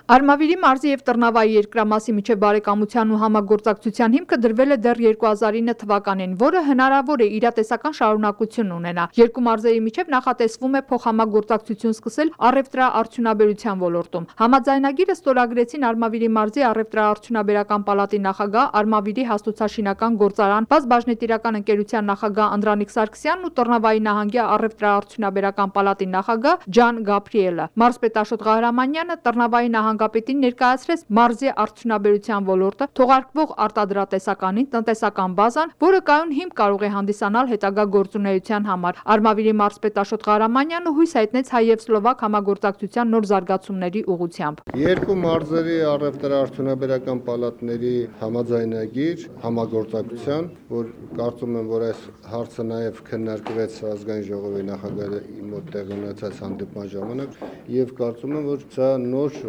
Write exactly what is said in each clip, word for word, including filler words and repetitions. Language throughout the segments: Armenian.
Արմավիրի մարզի և Տրնավայի երկրամասի միջև բարեկամության ու համագործակցության հիմքը դրվել է դեռ երկու հազար ինը թվականին, որը հնարավոր է իրատեսական շարունակություն ունենա։ Երկու մարզերի միջև նախատեսվում է փոխհամագործակցություն սկսել առևտրաարդյունաբերության ոլորտում։ Համաձայնագիրը ստորագրեցին Արմավիրի մարզի առևտրաարդյունաբերական պալատի նախագահ, Արմավիրի հաստոցաշինական գործարան բազմաբաժնետիրական ընկերության նախագահ Անդրանիկ Սարգսյանն ու Տրնավայի նահանգի առևտրաարդյունաբերական պալատի նախագահ Ջան Գաբրիելը։ Մարզպետ Աշոտ Ղահրամանյանը Տրնավայի նահանգապետին ներկայացրեց մարզի արդյունաբերության ոլորտը, թողարկվող արտադրատեսականին, տնտեսական բազան, որը կայուն հիմք կարող է հանդիսանալ հետագա գործունեության համար։ Արմավիրի մարզպետ Աշոտ Ղահրամանյանը հույս հայտնեց հայ և սլովակ համագործակցության նոր զարգացումների ուղղությամբ։ Երկու մարզերի առևտրաարդյունաբերական պալատների համաձայնագիր համագործակցության, որ կարծում եմ, որ այս հարցը նաև քննարկվեց ազգային ժողովի նախագահի մոտ տեղի ունեցած հանդիպման ժամանակ, եւ կարծում եմ, որ սա նոր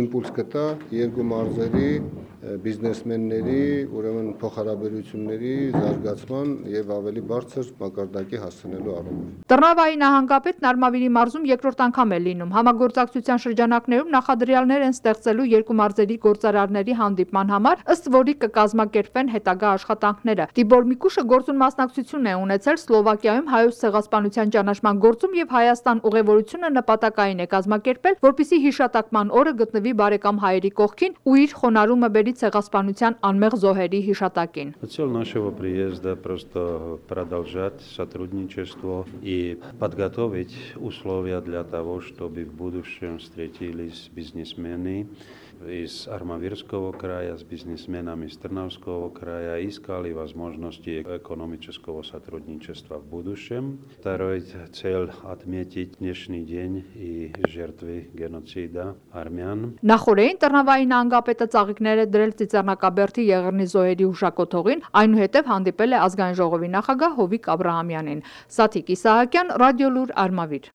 իմպուլս կտա երկու մարզերի բիզնեսմենների, ուրեմն փոխհարաբերությունների զարգացման եւ ավելի բարձր մակարդակի հասցնելու առումով։ Տրնավայի նահանգապետն Արմավիրի մարզում երկրորդ անգամ է լինում։ Համագործակցության շրջանակներում նախադրյալներ են ստեղծելու երկու մարզերի գործարարների հանդիպման համար, ըստ որի կկազմակերպվեն հետագա աշխատանքները։ Տիբոր Միկուշը գործուն մասնակցություն է ունեցել Սլովակիայում Հայոց ցեղասպանության ճանաչման գործում եւ Հայաստան ուղևորությունը նպատակային է կազմակերպել, որպեսզի հիշատակման օրը գտնվի բարեկամ հայերի կողքին ու իր խոնարհումը բերի ցեղասպանության անմեղ զոհերի հիշատակին։ Цель нашего приезда просто продолжать сотрудничество и подготовить условия для того, чтобы в будущем встретились бизнесмены из Армавирского края с бизнесменами из Трнавского края, искали возможности экономического сотрудничества в будущем. Второй цель – отметить днешний день и жертвы геноцида армян. Նախորդին Տրնավայի նահանգապետը ծաղիկներ է դրել Ծիծեռնակաբերդի Եղեռնի զոհերի հուշակոթողին, այնուհետև հանդիպել է ազգային ժողովի նախագահ Հովիկ Աբրահամյանին։ Սաթիկ Իսահակյան, Ռադիոլուր, Արմավիր։